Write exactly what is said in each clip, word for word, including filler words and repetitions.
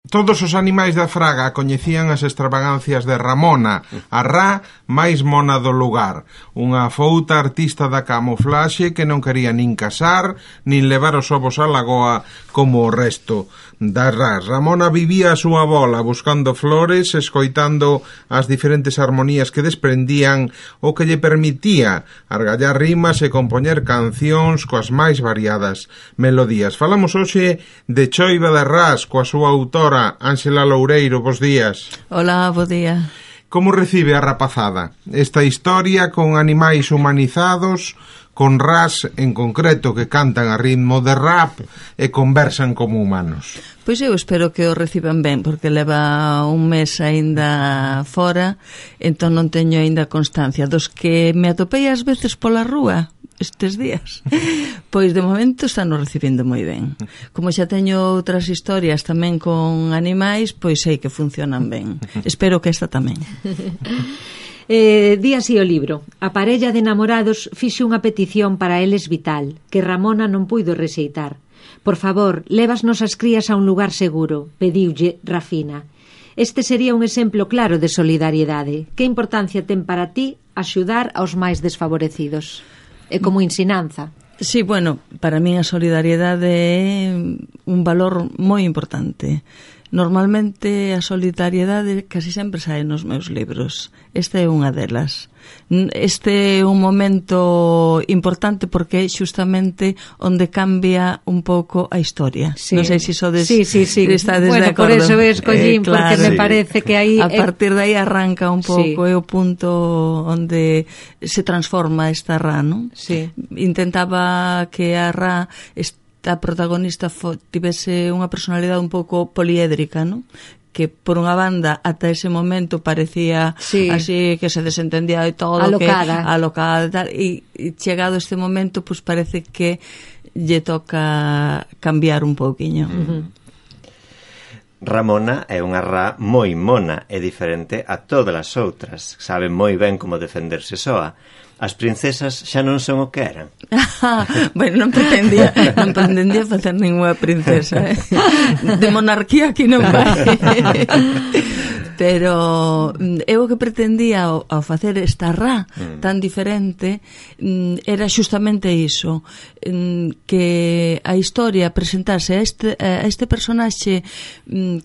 Todos os animais da fraga coñecían as extravagancias de Ramona, a ra máis mona do lugar, unha fouta artista da camuflaxe que non quería nin casar, nin levar os ovos á lagoa como o resto das ras. Ramona vivía a súa bola, buscando flores, escoitando as diferentes armonías que desprendían, o que lle permitía argallar rimas e compoñer cancións coas máis variadas melodías. Falamos hoxe de Choiva de Ras, coa súa autora Ángela Loureiro. Bos días. Hola, bo día. Como recibe a rapazada esta historia con animais humanizados, con ras en concreto que cantan a ritmo de rap e conversan como humanos? Pois eu espero que o reciban ben, porque leva un mes aínda fora, entón non teño aínda constancia. Dos que me atopei ás veces pola rúa estes días, pois de momento están o recibindo moi ben. Como xa teño outras historias tamén con animais, pois sei que funcionan ben. Espero que esta tamén. Eh, di así o libro: a parella de namorados fixe unha petición para eles vital, que Ramona non puido rexeitar. Por favor, lévasnos as crías a un lugar seguro, pediulle Rafina. Este sería un exemplo claro de solidariedade. Que importancia ten para ti axudar aos máis desfavorecidos? É como ensinanza. Sí, bueno, para min a solidariedade é un valor moi importante. Normalmente a solidariedade casi sempre sae nos meus libros. Esta é unha delas. Este é un momento importante porque é xustamente onde cambia un pouco a historia. Sí. Non sei se sodes sí, sí, sí. estades bueno, de acordo. Por eso escollín, eh, claro, porque me sí. parece que aí a partir de aí arranca un pouco, sí. é o punto onde se transforma esta ra, non? Sí. Intentaba que a ra a protagonista fo, tivese unha personalidade un pouco poliédrica, non? Que por unha banda ata ese momento parecía sí. así que se desentendía de todo, alocada, que, alocada e tal, e, e chegado este momento pues parece que lle toca cambiar un pouquiño. Uh-huh. Ramona é unha ra moi mona e diferente a todas as outras. Sabe moi ben como defenderse soa. As princesas xa non son o que eran. Bueno, non pretendía non pretendía facer ninguna princesa, eh? De monarquía aquí non vai. Pero eu o que pretendía ao, ao facer esta ra mm. tan diferente era xustamente iso, que a historia presentase a este, a este personaxe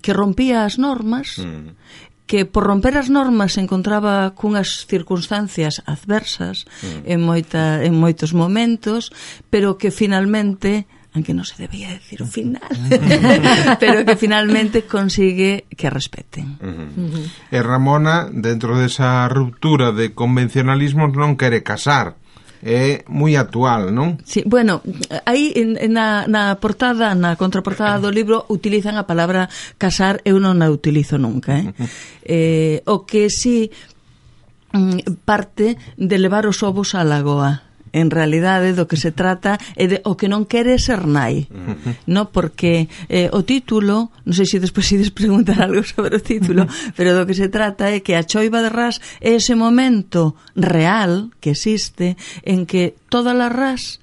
que rompía as normas, mm. que por romper as normas se encontraba cunhas circunstancias adversas mm. en, moita, en moitos momentos, pero que finalmente, aunque non se debía decir o final, pero que finalmente consigue que respeten. Uh-huh. Uh-huh. E Ramona, dentro desa ruptura de convencionalismos, non quere casar. É moi actual, non? Sí, bueno, aí na, na portada, na contraportada do libro utilizan a palabra casar, eu non a utilizo nunca, eh? eh o que si parte de levar os ovos á lagoa. En realidade do que se trata é de o que non quere ser nai, uh-huh. no? Porque eh, o título, non sei se despois ides preguntar algo sobre o título, pero do que se trata é que a choiva de ras é ese momento real que existe en que todas as ras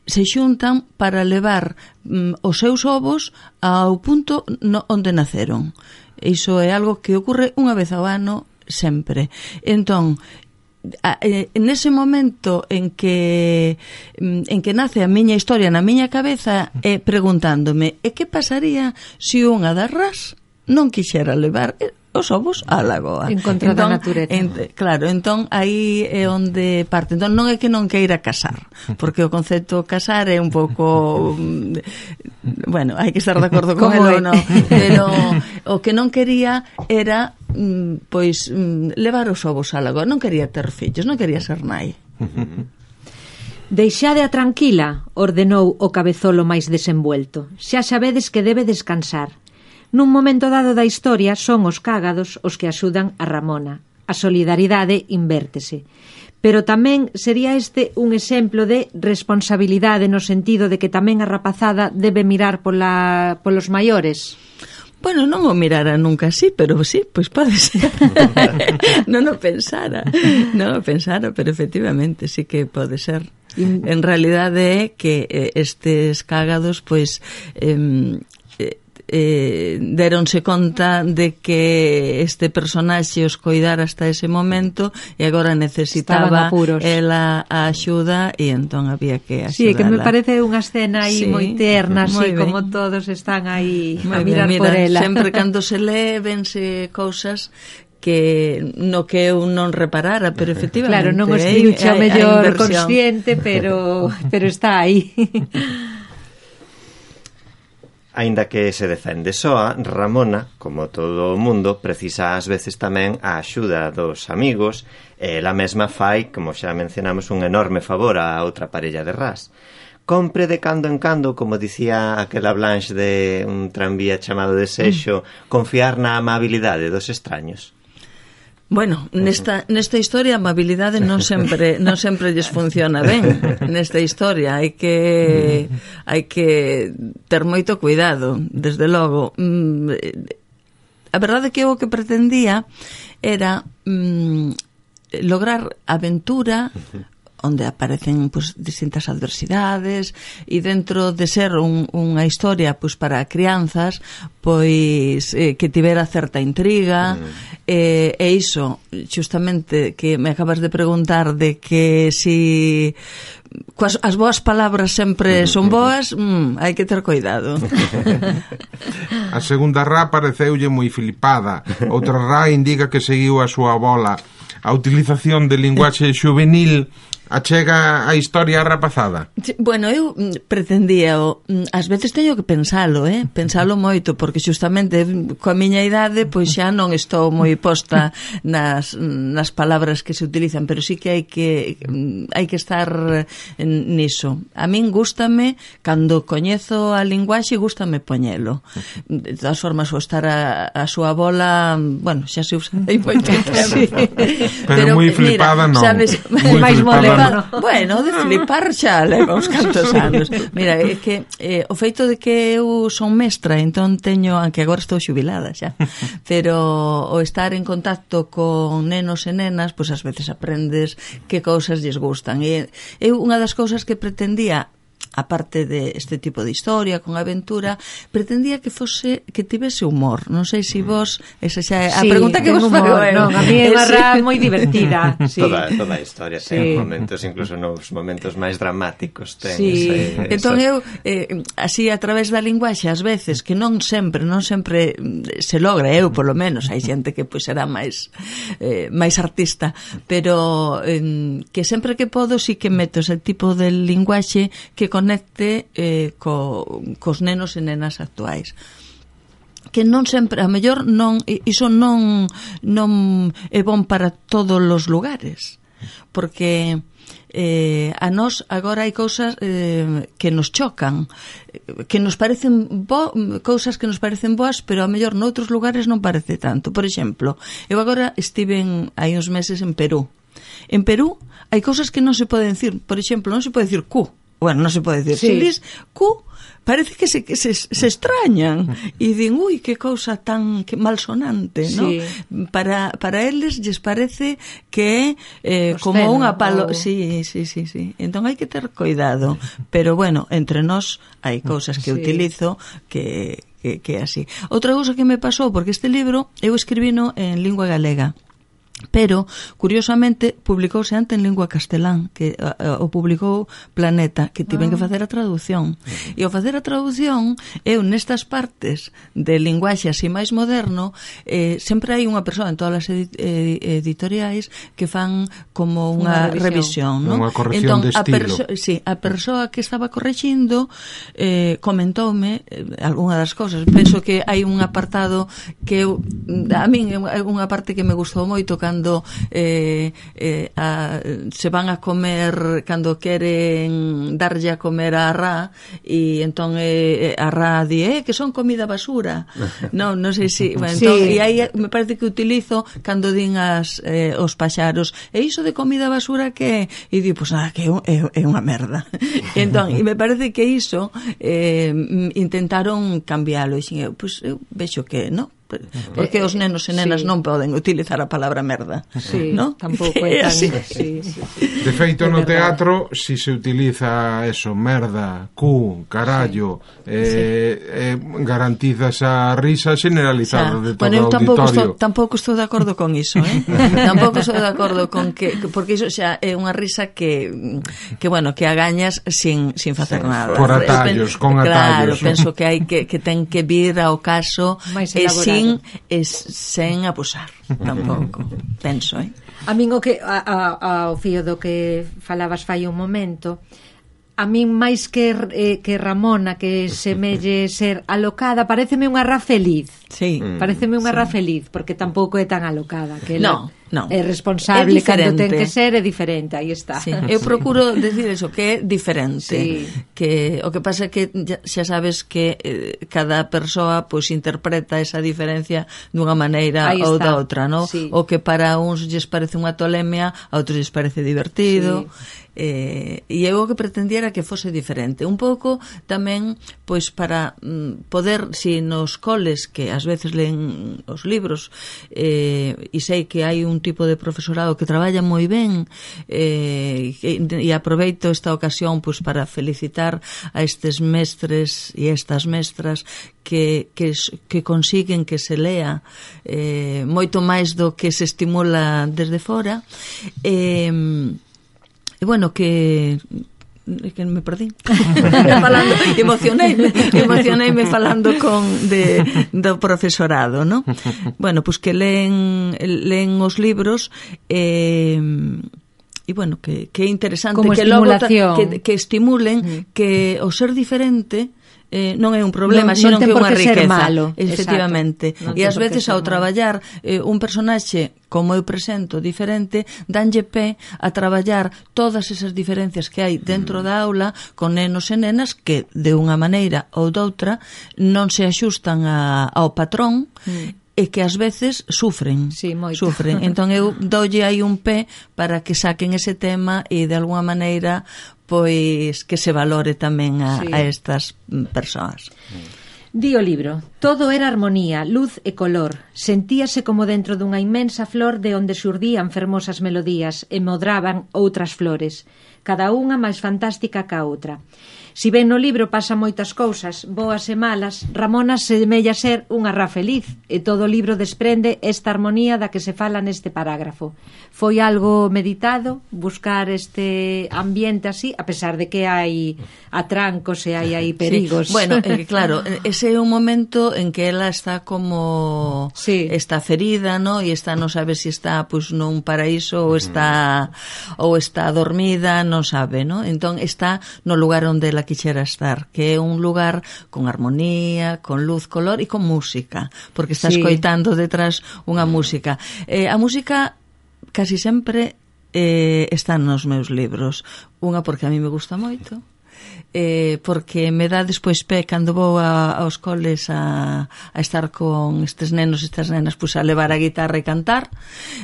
se xuntan para levar mm, os seus ovos ao punto no, onde naceron. Iso é algo que ocorre unha vez ao ano sempre. Entón, en ese momento en que en que nace a miña historia na miña cabeza é preguntándome, e que pasaría se unha das ras non quixera levar os ovos á lagoa? En contra entón, da natureza. En, claro, entón aí é onde parte. Entón non é que non queira casar, porque o concepto casar é un pouco bueno, hai que estar de acordo con ele ou non, pero o que non quería era pois levar os ovos á lagoa, non quería ter fillos, non quería ser nai. Deixade a tranquila, ordenou o cabezolo máis desenvuelto. Xa sabedes que debe descansar. Nun momento dado da historia son os cágados os que axudan a Ramona. A solidaridade invértese. Pero tamén sería este un exemplo de responsabilidade no sentido de que tamén a rapazada debe mirar pola, polos maiores. Bueno, non o mirara nunca así, pero sí, pois pode ser. Non o pensara, non o pensara, pero efectivamente sí que pode ser. En realidade é que estes cágados, pois, eh, eh, deronse conta de que este personaxe os coidara hasta ese momento e agora necesitaba ela a axuda e entón había que axudala. Sí, que me parece unha escena aí sí, moi terna, así como todos están aí a mirar ben, mira, por ela. Sempre cando se lee vense cousas que no que eu non reparara, pero efectivamente claro, non o escribiche a mellor consciente, pero pero está aí. Aínda que se defende soa, Ramona, como todo o mundo, precisa ás veces tamén a axuda dos amigos, e ela mesma fai, como xa mencionamos, un enorme favor a outra parella de ras. Compre de cando en cando, como dicía aquela Blanche de un tranvía chamado Desexo, confiar na amabilidade dos extraños. Bueno, nesta, nesta historia a amabilidade non sempre non sempre lles funciona ben. Nesta historia hai que hai que ter moito cuidado, desde logo. A verdade é que o que pretendía era mm, lograr aventura onde aparecen pues, distintas adversidades e dentro de ser un, unha historia pues, para crianzas pois eh, que tivera certa intriga mm. eh, e iso justamente que me acabas de preguntar de que si coas, as boas palabras sempre son boas, mm, hai que ter cuidado. A segunda rá pareceulle moi flipada, outra rá indica que seguiu a súa bola. A utilización de linguaxe juvenil achega a historia rapazada? Bueno, eu pretendía ás veces teño que pensalo, eh? pensalo moito, porque justamente coa miña idade pois xa non estou moi posta nas, nas palabras que se utilizan, pero sí que hai que hai que estar niso. A min gústame, cando coñezo a linguaxe, gústame poñelo. De todas formas, o estar a, a súa bola, bueno, xa se usa aí moito tempo. Pero, pero moi flipada non. Sabes, máis moderno. Bueno, de flipar xa leva uns cantos anos. Mira, é que eh, o feito de que eu son mestra, entón teño, aunque agora estou xubilada xa, pero o estar en contacto con nenos e nenas, pois pues, ás veces aprendes que cousas lles gustan. E eu unha das cousas que pretendía, aparte de este tipo de historia con aventura, pretendía que fose que tivese humor. Non sei se vos esa xa é a sí, pregunta que vos fago. Non, a mí é unha rá moi divertida. Sí. Toda, toda a historia sí. ten momentos, incluso nos momentos máis dramáticos ten sí. ese, Entón esa... eu eh, así a través da linguaxe ás veces, que non sempre, non sempre se logra, eu polo menos, hai xente que pois será máis eh, máis artista, pero eh, que sempre que podo sí que meto ese tipo de linguaxe que conecte eh, co, cos nenos e nenas actuais, que non sempre, a mellor non, iso non non é bon para todos os lugares, porque eh, a nós agora hai cousas eh, que nos chocan, que nos parecen bo, cousas que nos parecen boas, pero a mellor noutros lugares non parece tanto. Por exemplo, eu agora estive hai uns meses en Perú. En Perú hai cousas que non se poden decir. Por exemplo, non se pode decir cu. Bueno, non se pode decir. Sí. Se dis cu, parece que se, que se, se extrañan e din, ui, que cousa tan que malsonante, sí. ¿no? Para, para eles lles parece que é eh, como unha palo... O... Sí, sí, sí, sí. Entón hai que ter cuidado. Pero, bueno, entre nós hai cousas que sí. utilizo que, que, que é así. Outra cousa que me pasou, porque este libro eu escribino en lingua galega, pero, curiosamente, publicouse antes en lingua castelán, que uh, o publicou Planeta, que tiven ah. que facer a traducción. Uh-huh. E ao facer a traducción, eu nestas partes de linguaxe así máis moderno, eh, sempre hai unha persoa en todas as edi- editoriais que fan como unha, unha revisión, non? Unha corrección entón, de estilo. A perso- sí, a persoa que estaba correxindo eh, comentoume eh, algunha das cousas. Penso que hai un apartado que eu, a min é unha parte que me gustou moito, cando eh, eh, a, se van a comer, cando queren darlle a comer a Ra, e entón eh, a Ra di, eh, que son comida basura. non, non sei se... Bueno, entón, sí. E aí me parece que utilizo cando din as, eh, os paxaros, e iso de comida basura que... E di, pois nada, que é, é unha merda. E entón, e me parece que iso eh, intentaron cambiálo, e xin, pois eu vexo que, non? Porque os nenos e nenas sí. non poden utilizar a palabra merda. Sí, ¿no? tampouco é tan... Sí. Sí, sí. De feito, É no verdade. teatro, si se utiliza eso, merda, cu, carallo, sí. eh, sí. eh, garantiza esa risa generalizada de todo bueno, eu o tampouco auditorio. estou, tampouco estou de acordo con iso, eh? Tampouco estou de acordo con que, porque iso xa é unha risa que, que bueno, que agañas sin, sin facer sí, nada. Por atallos, con claro, atallos. Claro, penso que hai que, que ten que vir ao caso e sin, e sen abusar, tampouco, penso, eh? A min o que, a, a, ao fío do que falabas fai un momento, a min máis que, eh, que Ramona, que semelle ser alocada, pareceme unha ra feliz. Sí. Pareceme unha sí. ra feliz, porque tampouco é tan alocada, que no, no. é responsable é cando ten que ser, é diferente, aí está. Sí. Eu sí. procuro decir eso, que é diferente. Sí. Que o que pasa é que xa sabes que eh, cada persoa pois interpreta esa diferencia dunha maneira aí ou está. da outra, ¿no? Sí. O que para uns lles parece unha tolemia, a outros lles parece divertido. Sí. Eh, e eu o que pretendía era que fose diferente un pouco tamén pois para mm, poder, si nos coles que ás veces leen os libros eh, e sei que hai un tipo de profesorado que traballa moi ben eh, e, e aproveito esta ocasión pois para felicitar a estes mestres e estas mestras que, que, que consiguen que se lea eh, moito máis do que se estimula desde fora e eh, E bueno, que que me perdí falando, emocioneime emocioneime falando con de, do profesorado, ¿no? Bueno, pues que leen leen os libros e e bueno, que, que é interesante como que logo ta, estimulación que, que estimulen mm. que o ser diferente eh, non é un problema, non, sino non que é unha riqueza, malo. efectivamente. E ás veces ao traballar eh, un personaxe como eu presento diferente, danlle pé a traballar todas esas diferencias que hai dentro da aula con nenos e nenas que de unha maneira ou doutra non se axustan a, ao patrón mm. e que ás veces sufren, sí, sufren. Entón eu doulle aí un pé para que saquen ese tema e de alguna maneira pois que se valore tamén a, sí. a estas persoas. Di o libro, todo era armonía, luz e color. Sentíase como dentro dunha inmensa flor de onde xurdían fermosas melodías e modraban outras flores, cada unha máis fantástica ca outra. Si ben no libro pasa moitas cousas, boas e malas, Ramona semella ser unha ra feliz e todo o libro desprende esta armonía da que se fala neste parágrafo. Foi algo meditado buscar este ambiente así, a pesar de que hai atrancos e hai aí perigos. Sí. Bueno, eh, claro, ese é un momento en que ela está como sí. está ferida, ¿no? E está, non sabe se si está pues nun paraíso ou está ou está dormida, non sabe, ¿no? Entón está no lugar onde ela quixera estar, que é un lugar con armonía, con luz, color e con música, porque está sí. escoitando detrás unha música. Eh, a música casi sempre eh, está nos meus libros. Unha porque a mí me gusta moito, eh, porque me dá despois pé cando vou a, aos coles a, a estar con estes nenos e estas nenas, pois a levar a guitarra e cantar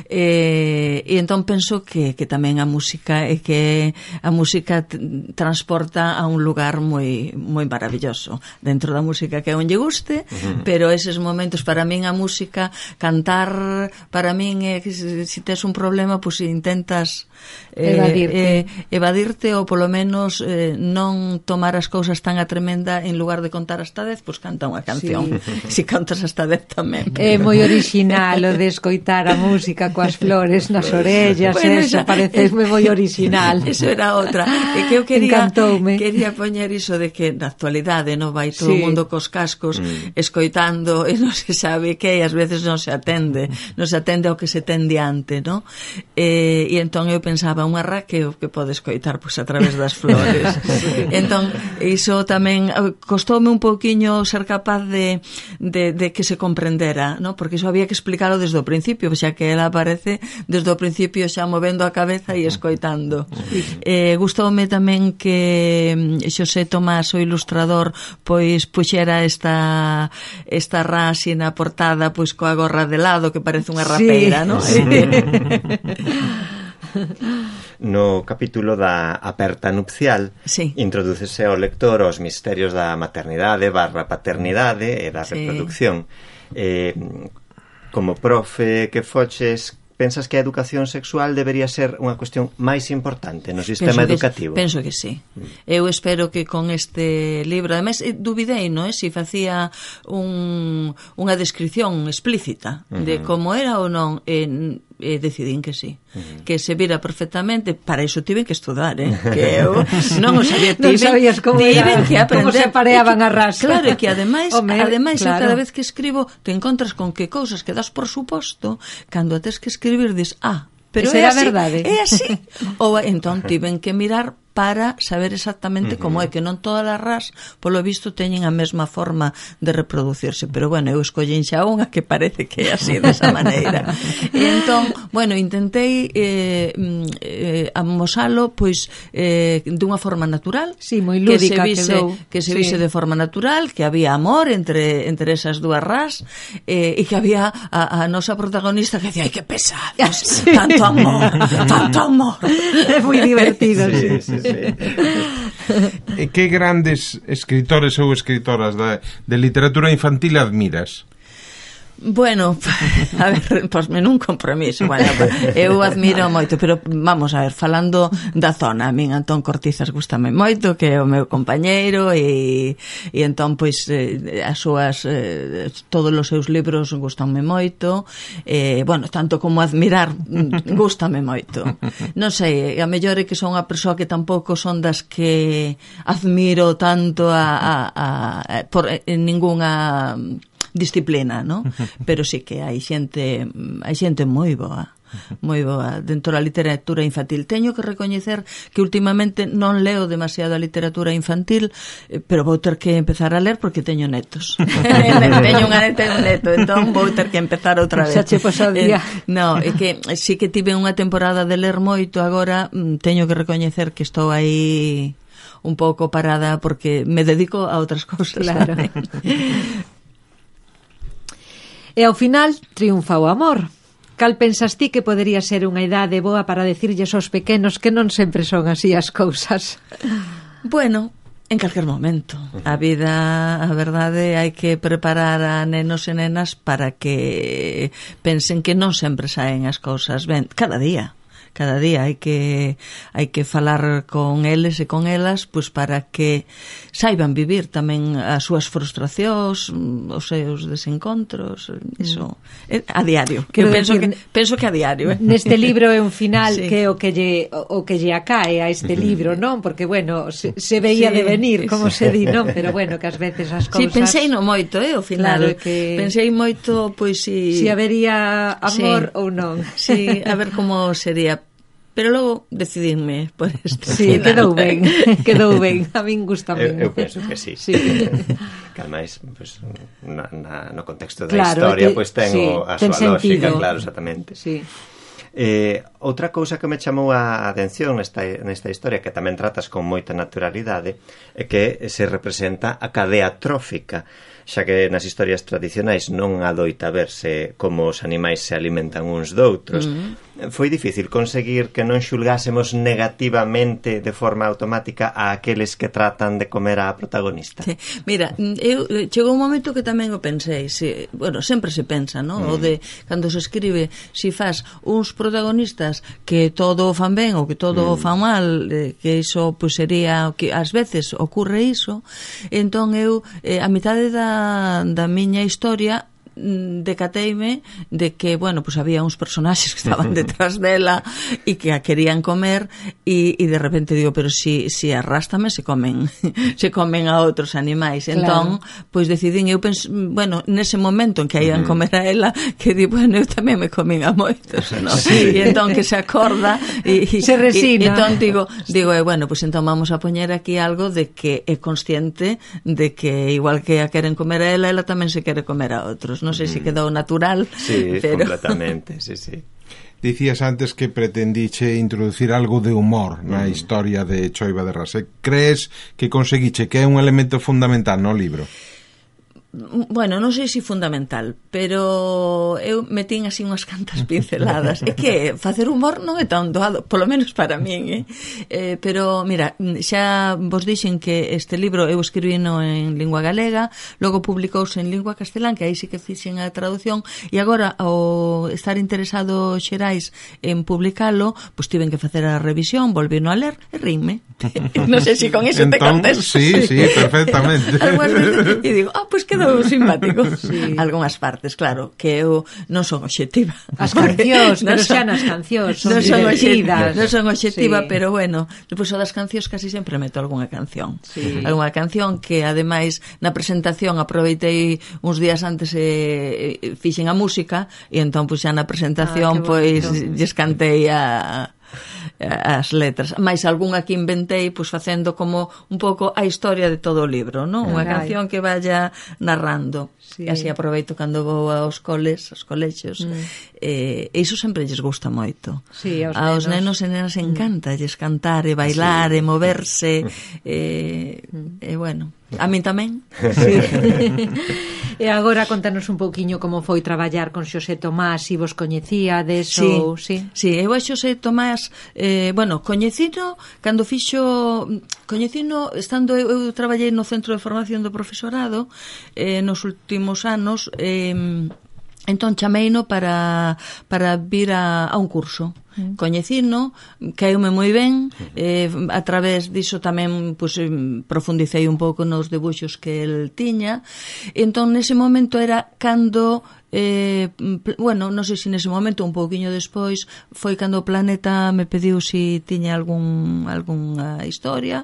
eh, e entón penso que, que tamén a música é que a música t- transporta a un lugar moi moi maravilloso dentro da música que a un lle guste, uh-huh. pero eses momentos para min a música, cantar para min é que se, se tes un problema pois intentas eh, evadirte. Eh, evadirte ou polo menos eh, non tomar as cousas tan a tremenda en lugar de contar hasta dez, pois canta unha canción. Si sí. si cantas hasta dez tamén. É moi original o de escoitar a música coas flores nas orellas, bueno, eso parecesme moi original. Eso era outra. E que eu quería Encantoume. quería poñer iso de que na actualidade non vai todo o sí. mundo cos cascos mm. escoitando e non se sabe que e ás veces non se atende, non se atende ao que se ten diante, ¿no? E, e entón eu pensaba unha ra que o que pode escoitar pois a través das flores. Entón, iso tamén costoume un pouquiño ser capaz de, de, de que se comprendera, ¿no? Porque iso había que explicarlo desde o principio, xa que ela aparece desde o principio xa movendo a cabeza e escoitando. Eh, gustoume tamén que Xosé Tomás, o ilustrador, pois puxera esta esta ra así na portada, pois coa gorra de lado, que parece unha rapeira, sí. ¿no? Sí. No capítulo da aperta nupcial sí. introdúcese ao lector os misterios da maternidade barra paternidade e da sí. reproducción. Eh, como profe que foches, pensas que a educación sexual debería ser unha cuestión máis importante no sistema penso educativo? Que, penso que sí. Eu espero que con este libro, además, duvidei, non é? Si facía un, unha descripción explícita uh-huh. de como era ou non, e, e decidín que sí. Uh-huh. Que se vira perfectamente, para iso tiven que estudar, eh? Que eu non o sabía, tiven, non sabías como tiven era, que aprender. Como se pareaban a ras. Claro, e que ademais, Home, ademais claro. cada vez que escribo te encontras con que cousas que das por suposto, cando a tes que escribir dis, ah, pero Esa é era así, verdade. é así. Ou entón tiven que mirar para saber exactamente uh-huh. como é, que non todas as ras, polo visto, teñen a mesma forma de reproducirse, pero bueno, eu escollín xa unha que parece que é así, desa maneira. E entón, bueno, intentei eh, eh, amosalo, pois, eh, dunha forma natural, sí, moi lúdica, que se vise, quedou. que se sí. vise de forma natural, que había amor entre entre esas dúas ras, eh, e que había a, a nosa protagonista que decía, ai, que pesados, sí. tanto amor, tanto amor. É moi divertido, sí. sí, sí. Sí. E que grandes escritores ou escritoras de, de literatura infantil admiras? Bueno, a ver, posme nun compromiso. Bueno, eu admiro moito, pero vamos a ver, falando da zona, a min Antón Cortizas gústame moito, que é o meu compañeiro, e, e entón, pois, eh, as súas, eh, todos os seus libros gústanme moito, eh, bueno, tanto como admirar, gústame moito. Non sei, a mellor é que son unha persoa que tampouco son das que admiro tanto a, a, a, a por en ningunha disciplina, ¿no? Pero sí que hai xente, hai xente moi boa, moi boa dentro da literatura infantil. Teño que recoñecer que últimamente non leo demasiada literatura infantil, pero vou ter que empezar a ler porque teño netos. Teño unha neta e un neto, entón vou ter que empezar outra vez. Xa che pasou o día. Eh, no, é que sí que tive unha temporada de ler moito, agora teño que recoñecer que estou aí un pouco parada porque me dedico a outras cousas. Claro. E ao final triunfa o amor. Cal pensas ti que podería ser unha idade boa para decirlles aos pequenos que non sempre son así as cousas? Bueno, en calquer momento. A vida, a verdade, hai que preparar a nenos e nenas para que pensen que non sempre saen as cousas ben, cada día. Cada día hai que hai que falar con eles e con elas, pois para que saiban vivir tamén as súas frustracións, os seus desencontros, iso é a diario. Que eu penso decir, que penso que a diario, eh? Neste libro é un final sí. que é o que lle o que lle acae a este libro, non? Porque bueno, se, se veía sí, de venir, como sí. se di, non? Pero bueno, que ás veces as cousas. Si, sí, pensei no moito, eh, ao final. Claro, que pensei moito, pois si si habería amor sí. ou non. Si, a ver como sería. Pero logo decidinme por este sí, final. quedou ben, quedou ben. A min gusta ben. Eu, eu penso que sí. sí. Que ademais, pues, na, na, no contexto da claro, historia, te, pois ten sí, a ten súa lógica, sentido. claro, exactamente. Sí. Eh, outra cousa que me chamou a atención nesta, nesta historia, que tamén tratas con moita naturalidade, é que se representa a cadea trófica, xa que nas historias tradicionais non adoita verse como os animais se alimentan uns doutros. Mm-hmm. Foi difícil conseguir que non xulgásemos negativamente de forma automática a aqueles que tratan de comer a protagonista. Sí. Mira, eu chegou un momento que tamén o pensei, si, bueno, sempre se pensa, ¿no? Mm. O de cando se escribe, si fas uns protagonistas que todo o fan ben ou que todo mm. o fan mal, eh, que iso pois sería que ás veces ocurre iso. Entón eu eh, a mitade da da miña historia decateime de que, bueno, pues había uns personaxes que estaban detrás dela e que a querían comer e, e de repente digo, pero si, si arrástame se comen se comen a outros animais. Claro. Entón, pois decidín, eu penso, bueno, nese momento en que iban comer a ela, que di, bueno, eu tamén me comín a moitos, ¿no? Sí. E entón que se acorda e, se resina. E, e entón digo, digo, eh, bueno, pues entón vamos a poñer aquí algo de que é consciente de que igual que a queren comer a ela, ela tamén se quere comer a outros. Non sei se quedou natural. Sí, pero... completamente, sí, sí. Dicías antes que pretendiche introducir algo de humor na mm. historia de Choiva de Ras. Crees que conseguiche que é un elemento fundamental no libro? Bueno, non sei se fundamental, pero eu metín así unhas cantas pinceladas. É que facer humor non é tan doado, polo menos para min, eh? eh pero, mira, xa vos dixen que este libro eu escribino en lingua galega, logo publicouse en lingua castelán, que aí sí que fixen a traducción, e agora, ao estar interesado Xerais en publicalo, pois tiven que facer a revisión, volvino a ler e rime. Non sei se con iso te contesto. Sí, sí, perfectamente. E digo, ah, pois quedou simpático. Sí. Algúnas partes, claro, que eu non son obxectiva. As cancións, pero xa nas cancións son non son divertidas. Non son obxectiva, Sí. pero bueno, depois o das cancións casi sempre meto algunha canción. Sí. Algunha canción que, ademais, na presentación aproveitei uns días antes e eh, fixen a música, e entón, pois, xa na presentación, Ah, pois, bonito. lles cantei a... as letras, máis algunha que inventei, pois facendo como un pouco a historia de todo o libro, non? Unha Carai. canción que vaya narrando. Sí. E así aproveito cando vou aos coles, aos colexios. Mm. Eh, e iso sempre lles gusta moito. Sí, aos, aos nenos. nenos e nenas encanta lles cantar e bailar Sí. e moverse. E, e bueno, a min tamén. Sí. E agora contanos un pouquiño como foi traballar con Xosé Tomás, se vos coñecíades Sí, ou... Sí, sí, eu a Xosé Tomás, eh, bueno, coñecino cando fixo, coñecino estando eu, eu traballei no Centro de Formación do Profesorado eh, nos últimos anos, eh, entón chameino para, para vir a, a un curso. Mm. Coñecino, caeume moi ben, eh, a través diso tamén pues, profundicei un pouco nos debuxos que el tiña, entón nese momento era cando eh, bueno, non sei se nese momento un pouquiño despois foi cando o Planeta me pediu se si tiña algún algunha historia,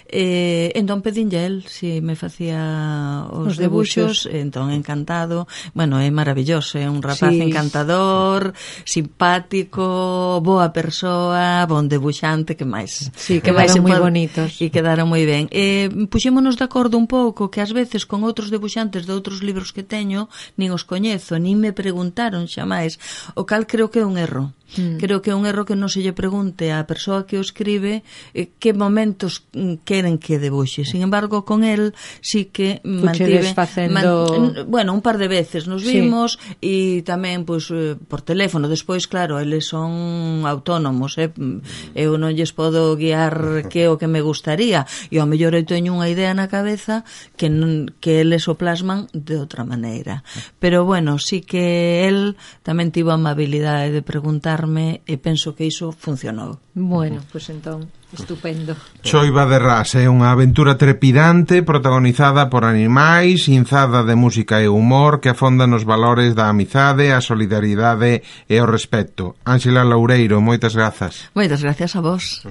eh, entón pedinlle el se si me facía os, os debuxos, debuxos, entón encantado. Bueno, é maravilloso, é un rapaz sí. encantador, simpático, boa persoa, bon debuxante, que máis? Sí, quedaron moi bonitos. E quedaron moi ben. Eh, puxémonos de acordo un pouco que ás veces con outros debuxantes de outros libros que teño nin os coñezo, nin me preguntaron xamais, o cal creo que é un erro. Mm. Creo que é un erro que non se lle pregunte á persoa que o escribe eh, que momentos queren que debuxe. Sin embargo, con el sí que mantive facendo... man, bueno, un par de veces nos vimos e sí. tamén pois pues, por teléfono. Despois, claro, eles son autónomos, eh? Eu non lles podo guiar que o que me gustaría, e ao mellor eu teño unha idea na cabeza que non, que eles o plasman de outra maneira. Pero bueno, sí que el tamén tivo a amabilidade de preguntar e penso que iso funcionou. Bueno, pois pues entón, estupendo. Choiva de Ras é unha aventura trepidante protagonizada por animais, inzada de música e humor que afonda nos valores da amizade, a solidaridade e o respeto. Ánxela Loureiro, moitas grazas. Moitas gracias a vos.